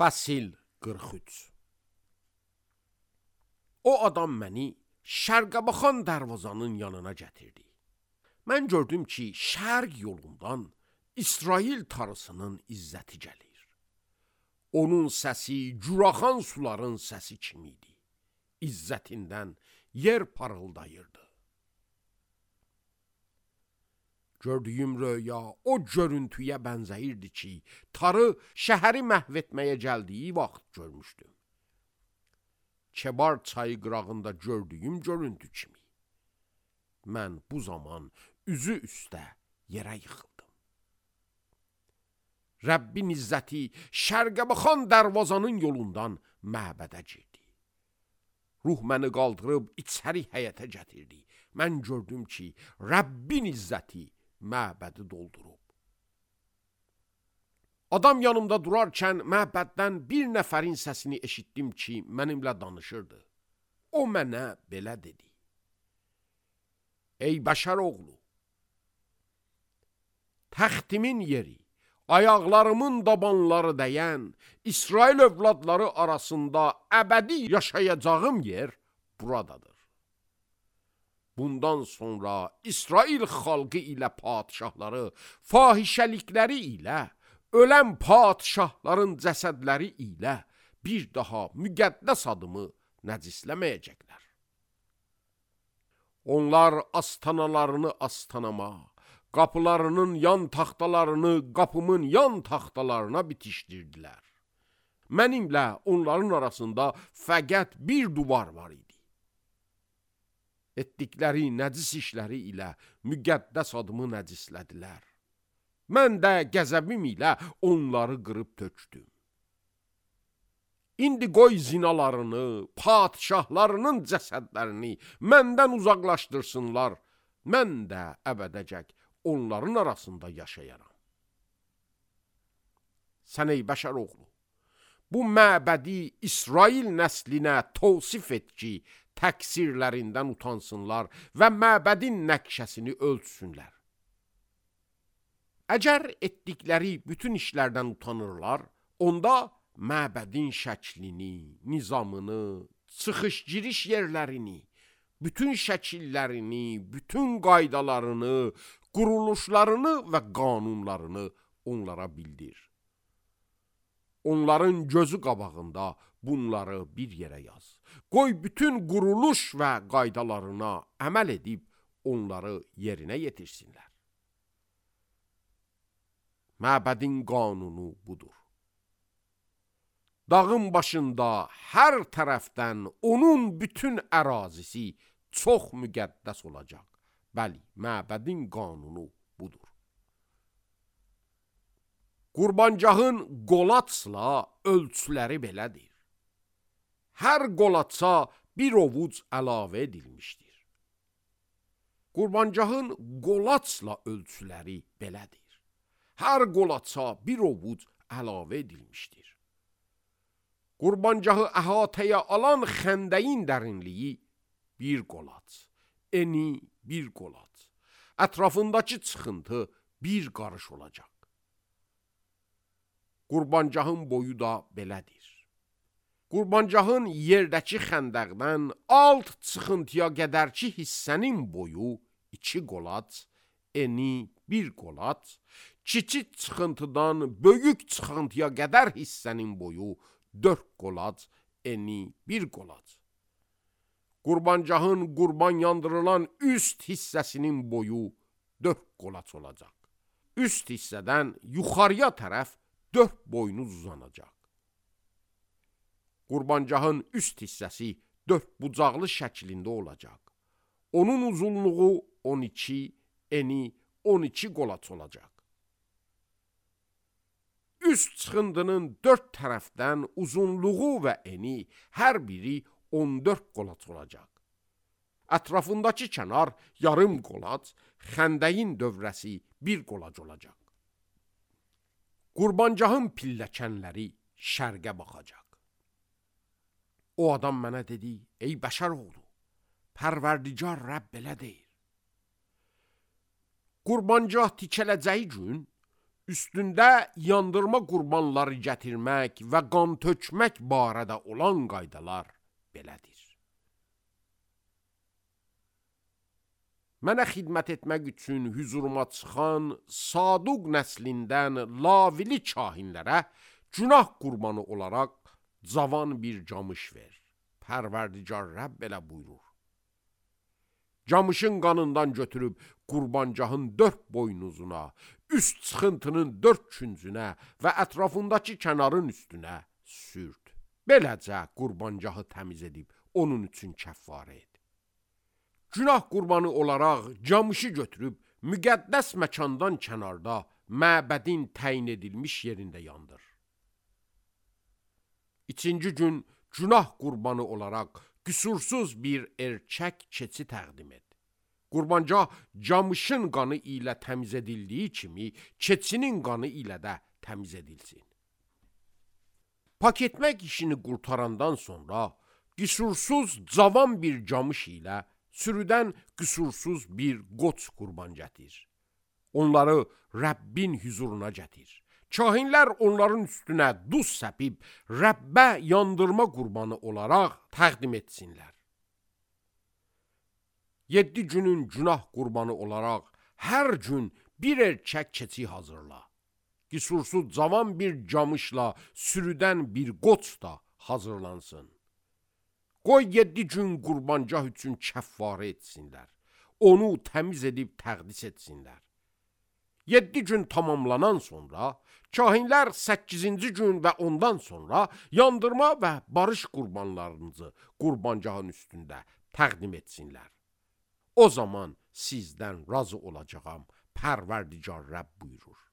Fəsil 43. O adam məni şərqə baxan darvazanın yanına gətirdi. Mən gördüm ki, şərq yolundan İsrail tarısının izzəti gəlir. Onun səsi curaxan suların səsi kimi idi. İzzətindən yer parıldayırdı. Gördüyüm röya o görüntüyə bənzəyirdi ki, tarı şəhəri məhv etməyə gəldiyi vaxt görmüşdüm. Kebar çayı qırağında gördüyüm görüntü kimi. Mən bu zaman üzü üstə yerə yıxıldım. Rəbbin izzəti şərqə baxan darvazanın yolundan məbədə girdi. Ruh məni qaldırıb içəri həyətə gətirdi. Mən gördüm ki, Rəbbin izzəti məbədi doldurub. Adam yanımda durarkən məbəddən bir nəfərin səsini eşitdim ki, mənimlə danışırdı. O mənə belə dedi: Ey bəşər oğlu, təxtimin yeri, ayaqlarımın dabanları dəyən İsrail övladları arasında əbədi yaşayacağım yer buradadır. Bundan sonra İsrail xalqı ilə padişahları fahişəlikləri ilə, ölən padişahların cəsədləri ilə bir daha müqəddəs adımı nəcisləməyəcəklər. Onlar astanalarını astanama, qapılarının yan taxtalarını qapımın yan taxtalarına bitişdirdilər. Mənimlə onların arasında fəqət bir duvar var idi. Etdikləri nəcis işləri ilə müqəddəs adımı nəcislədilər. Mən də qəzəbim ilə onları qırıb tökdüm. İndi qoy zinalarını, padişahlarının cəsədlərini məndən uzaqlaşdırsınlar. Mən də əbədəcək onların arasında yaşayaram. Sən ey bəşər oğlu, bu məbədi İsrail nəslinə tavsif et ki, təqsirlərindən utansınlar və məbədin nəqşəsini ölçsünlər. Əgər etdikləri bütün işlərdən utanırlar, onda məbədin şəklini, nizamını, çıxış-giriş yerlərini, bütün şəkillərini, bütün qaydalarını, quruluşlarını və qanunlarını onlara bildir. Onların gözü qabağında bunları bir yerə yaz. Qoy bütün quruluş və qaydalarına əməl edib onları yerinə yetirsinlər. Məbədin qanunu budur. Dağın başında hər tərəfdən onun bütün ərazisi çox müqəddəs olacaq. Bəli, məbədin qanunu budur. Qurbancağın qolaçla ölçüləri belədir. Hər qolaça bir ovuc əlavə edilmişdir. Qurbancağın qolaçla ölçüləri belədir. Hər qolaça bir ovuc əlavə edilmişdir. Qurbancağı əhatəyə alan xəndəyin dərinliyi bir qolaç, eni bir qolaç, ətrafındakı çıxıntı bir qarış olacaq. Qurbancağın boyu da belədir. Qurbancağın yerdəki xəndəqdən alt çıxıntıya qədərki hissənin boyu 2 qolaç, eni bir qolaç, kiçik çıxıntıdan böyük çıxıntıya qədər hissənin boyu 4 qolaç, eni bir qolaç. Qurbancağın qurban yandırılan üst hissəsinin boyu 4 qolaç olacaq. Üst hissədən yuxarıya tərəf 4 boynuz uzanacaq. Qurbancağın üst hissəsi 4 bucaqlı şəklində olacaq. Onun uzunluğu 12, eni 12 qolaç olacaq. Üst çıxıntının 4 tərəfdən uzunluğu və eni hər biri 14 qolaç olacaq. Ətrafındakı kənar yarım qolaç, xəndəyin dövrəsi 1 qolac olacaq. Qurbancağın pilləkənləri şərqə baxacaq. O adam mənə dedi: Ey bəşər oğlu, Pərverdigar Rəbb belə deyir. Qurbancaq tikələcəyi gün üstündə yandırma qurbanları gətirmək və qan tökmək barədə olan qaydalar belədir. Mənə xidmət etmək üçün hüzuruma çıxan Saduq nəslindən lavili kahinlərə günah qurbanı olaraq cavan bir camış ver. Pərverdigar Rəbb belə buyurur. Camışın qanından götürüb qurbancahın 4 boynuzuna, üst çıxıntının 4 küncünə və ətrafındakı kənarın üstünə sürt. Beləcə qurbancahı təmiz edib onun üçün kəffarə et. Günah qurbanı olaraq camışı götürüb müqəddəs məkandan kənarda məbədin təyin edilmiş yerində yandır. İkinci gün günah qurbanı olaraq qüsursuz bir erkək keçi təqdim et. Qurbancah camışın qanı ilə təmiz edildiyi kimi keçinin qanı ilə də təmiz edilsin. Pak etmək işini qurtarandan sonra qüsursuz cavan bir camış ilə sürüdən qüsursuz bir qoç qurban gətir. Onları Rəbbin huzuruna gətir. Kahinlər onların üstünə duz səpib Rəbbə yandırma qurbanı olaraq təqdim etsinlər. 7 günün günah qurbanı olaraq hər gün bir erkək keçi hazırla. Qüsursuz cavan bir camışla sürüdən bir qoç da hazırlansın. Qoy 7 gün qurbancah üçün kəffarə etsinlər. Onu təmiz edib təqdis etsinlər. 7 gün tamamlanan sonra, kahinlər 8-ci gün və ondan sonra yandırma və barış qurbanlarınızı qurbancahın üstündə təqdim etsinlər. O zaman sizdən razı olacağam, Pərverdigar Rəbb buyurur.